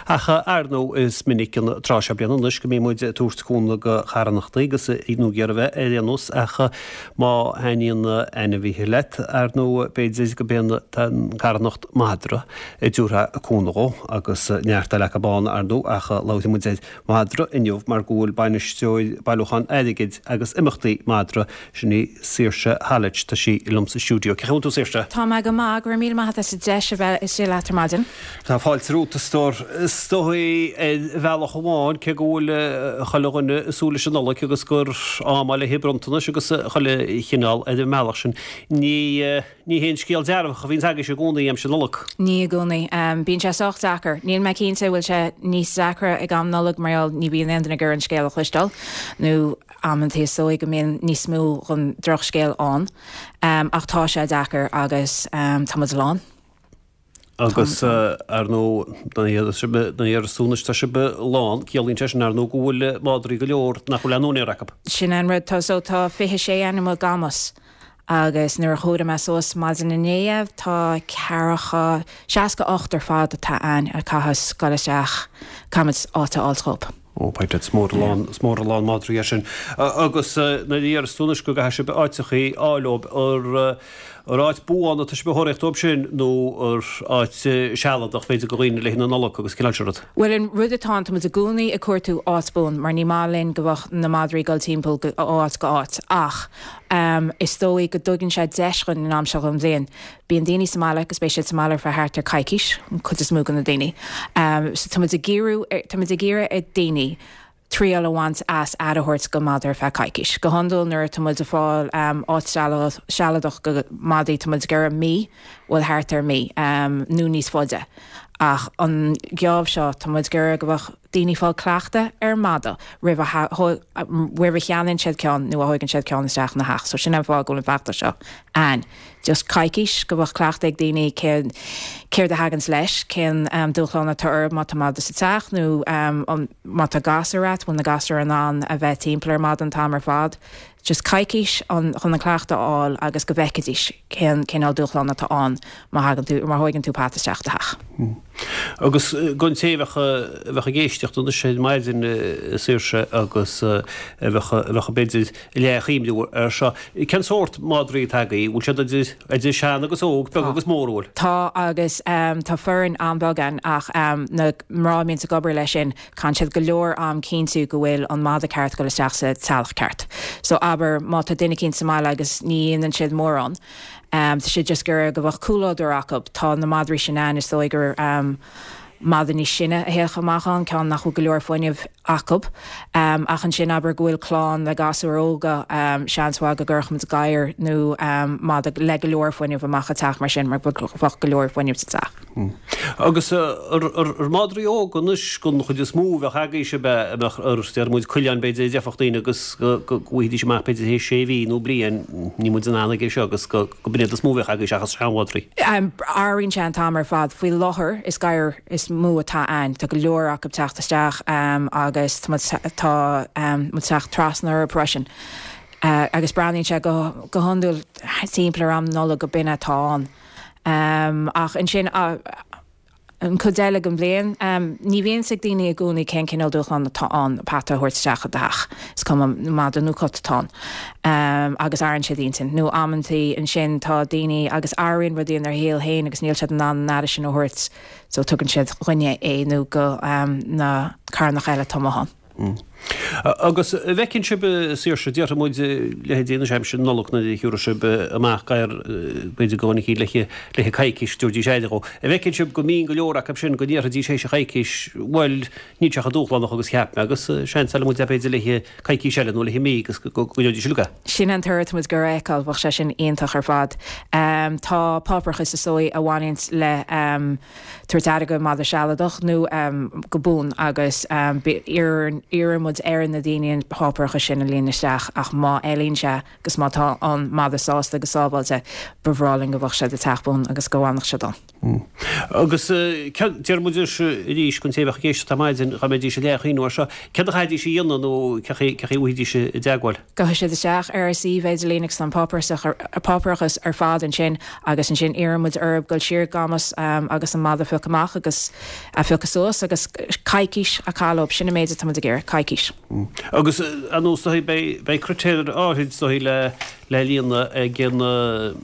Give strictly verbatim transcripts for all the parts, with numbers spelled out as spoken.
Ach ar ndóigh is minic an tráth seo bliana anois go mbíonn muid ag tabhairt cúnamh go carthanachtaí agus nó ag iarraidh bheith ar aon nós ach má thaitníonn ainmhithe leat ar ndóigh b'fhéidir go b'é an carthanacht madra a dtabharfá cúnamh dhó agus neart eile acu ann ar ndóigh ach labhróidh muid ar mhadra inniu mar go bhfuil bainisteoir bailiúchán airgid agus imeachtaí madra sin í Saoirse Hallet tá sí liom sa stiúideo. Cén chaoi a bhfuil tú Saoirse? Tá mé go maith go raibh míle maith as an deis a bheith istigh leat ar maidin. Tá fáilte romhat a stór is dóigh ar bhealach amháin cé go bhfuil chuile dhuine ag súil leis an Nollaig agus gur am le haghaidh bronntanais agus chuile chineál ar an mbealach sin ní ní haon scéal dearfach a bhíonn agaibhse i gcónaí aimsir Nollag. Ní i gcónaí. Bíonn sé sách deacair. Níl mé cinnte bhfuil sé níos deacra ag am Nollag mar ní bhíonn aon duine ag iarraidh an scéal a chloisteáil nó amanta is dóigh go mbíonn níos mó den drochscéal ann. Um, ach tá sé deacair agus um, tá muid lán. Agus ar ndóigh na tá sibh lán ciallaíonn sé sin ar ndóigh go bhfuil madraí go leor nach bhfuil aon úinéir acu. Sin an rud tá so tá fiche sé ainm gamas. agus nuair a chuaigh mé suas maidin inné tá ceathracha seasca ocht ar fad atá ann a chaithfeas dul isteach caithfimid áit a fháil dóibh. Ó is mór lán is mór lán madraí sin. Agus na dhéarstúnas go gcaithfidh sibh áiteachaí a fháil dóibh ar ar áit buan atá sibh ag tóraíocht dóibh sin nó ar áit sealadach b'fhéidir go dhaoine le na Nollag agus cineál rud. Well an rud atá ann tá i gcónaí ag cuartú áit buan mar ní maith linn go bheadh na madraí ag dul timpeall ó áit go áit ach um, is dóigh go dtugann sé deis dúinn an am seo den bhliain. Bíonn daoine sa mbaile agus beidh siad sa mbaile fá thart ar coicís an chuid is mó de na daoine. Um, so tá ag iarraidh tá ag iarraidh ar daoine triail a bhaint as aire a thabhairt go madra feadh coicís. Go hiondúil nuair tá muid ag fáil um, áit sealadach go madaí tá muid ag iarraidh mí bhfuil thart ar mí um, nó níos faide. Ach an geábh seo tá muid ag iarraidh go bheadh daoine fáil cleachtadh ar mada roimh roimh a cheannaíonn siad ceann nó a thógann siad ceann isteach ina theach, so sin an fáth go bhfuil an feachtas seo ann. Just coicís go bheadh cleachtadh ag daoine céard a thagann leis cén um, dúshlán atá ar má tá mada sa teach nó um, má tá gasúir agat bhfuil na gasúir in ann a bheith timpeall ar mada an t-am ar fad. Just coicís chun an cleachtadh a fháil agus go bhfeicfidís cén cén dúshlán atá ann má thagann tú má thógann tú peata isteach do theach. Hmm. Agus don té a bheadh ag éisteacht anois ar maidin Saoirse agus bheadh bheadh b'fhéidir leathchuimhniú ar seo. Cén sórt madraí atá agaibh, bhfuil siad idir idir sean agus óg, beag agus mór bhfuil? Tá agus um, tá foireann an-bheag ann ach um, na mná a bhíonn ag obair leis sin caitheann siad go leor am cinntiú go bhfuil an mada ceart dul isteach sa teach ceart. So abair má tá duine éicint sa mbaile agus ní dhéanann siad mórán. Um, tá siad just gur go bheadh comhluadar acu tá na madraí sin ann is dóigh gur um, mada níos sine a théann amach ann ceann nach bhfuil go leor fuinnimh acu. Um, ach ansin abair go bhfuil clann le gasúir óga um, seans go gcuirfimid gadhar nó um, mada le go leor fuinnimh amach isteach mar sin mar bheadh go leor fuinnimh sa teach. Hmm. Agus ar madraí óga anois den chuid is mó bheadh agaibhse bheadh ar deir muid coileáin b'fhéidir déarfadh daoine agus go bhfaighidís amach b'fhéidir théis sé mhí nó bliain ní muid an aige seo agus go b'iad is mó bheadh agaibhse seachas seanmhadraí. Um, Athraíonn sé an t-am ar fad faoi láthair is gadhair is mó atá ann Tá go leor acu teacht isteach um, agus tá um, teacht trasna ar freisin. Uh, agus breathnaíonn sé go go hiondúil timpeall ar am Nollag go b'in atá ann. Um, ach ansin uh, an chuid eile den bhliain um, ní bhíonn ag daoine i gcónaí cén cineál dúshlán atá ann peata a thabhairt isteach i do theach. Is cuma mada nó cat atá ann. Um, agus athraíonn siad intinn nó amantaí ansin tá daoine agus athraíonn rudaí ina saol féin agus níl siad in ann an aire sin a thabhairt so tugann siad dúinne é nó go um, na carthanachtaí eile atá ann. Mm. Agus bhfeiceann sibh Saoirse déarfaidh muid leithéidí na aimsir Nollag na thiúrfaidh sibh amach gadhar b'fhéidir go le le coicís dúirdís aire dhó. Bhfeiceann sibh go mbíonn go leor acu sin go ndéarfaidís théis coicís bhuel níl sé chomh dúshlánach agus cheap mé agus seans eile muid b'fhéidir le coicís eile nó le mí agus go dtí luga. Sin an toradh muid gur fheiceáil bheadh sé sin iontach ar fad. Um, tá páipéarachas is dóigh a bhaineann le um, tabhairt aire go mada sealadach nó um, go buan agus um, iarrann muid ar ar na daoine an páipéarachas sin a líonadh isteach ach má fheileann sé agus má tá an madra sásta agus sábháilte, ba bhreá linn go bheadh sé i do theach buan agus go bhfanfadh sé ann. Agus deir muid arís don té a bheadh ag éisteacht ar maidin, dá mbeidís ag leath-chuimhniú air seo, céard a chaithfidís a dhéanamh nó cé chaoi a bhfaighidís i dteagmháil? Gabhfaidh siad isteach ar ár suíomh idirlín agus tá an páipéarachas ar fad ansin agus ansin iarrann muid orthu dul siar go Camas agus an madra a phiocadh amach agus a phiocadh suas agus coicís a chaitheamh leo, sin an méid atá muid ag iarraidh, coicís. Agus ar ndóigh beidh critéir áirid is dóigh le le líonadh ag an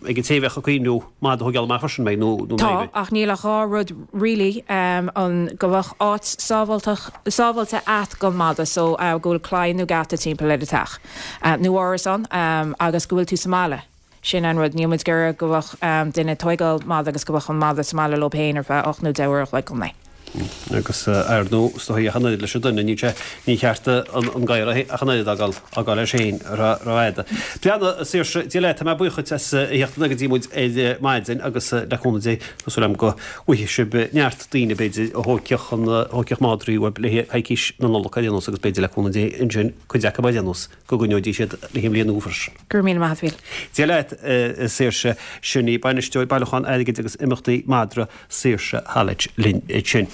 ag an té a bheadh ag cuimhniú madra a thógáil amach freisin, mbeidh nó nó Tá, ach níl ach dhá rud really, an go bheadh áit sábháltach sábháilte a't don mhadra so go bhfuil claí nó geata timpeall ar an teach nó árasán agus go bhfuil tú sa mbaile. Sin an rud, níl muid ag iarraidh go bheadh duine ag tóigeáil madra agus go bheadh an madra sa mbaile leo féin ar feadh ocht nó deich uair a chloig an lae. Agus ar ndóigh, is dóigh ach an oiread leis an duine, níl sé, ní cheart an gadhar ach an oiread a fhágáil, fhágáil leis féin rófhada. Breathnaigh, a Saoirse, Dia leat, tá mé buíoch dhuit as a theacht go dtí muid ar maidin agus le cúnamh Dé, tá súil agam go bhfaighidh sibh neart daoine, b'fhéidir, a thógfadh an, a thógfadh madraí uaibh le haghaidh coicís na Nollag ar aon nós agus b'fhéidir le cúnamh Dé ansin, cuid acu ar aon nós, go gcoinneoidís iad le haghaidh an bhliain nua freisin. Go raibh míle maith a't, a Mhíl. Dia leat, a Saoirse, sin í bainisteoir bailiúchán airgid agus imeachtaí madra Saoirse Hallett linn ansin.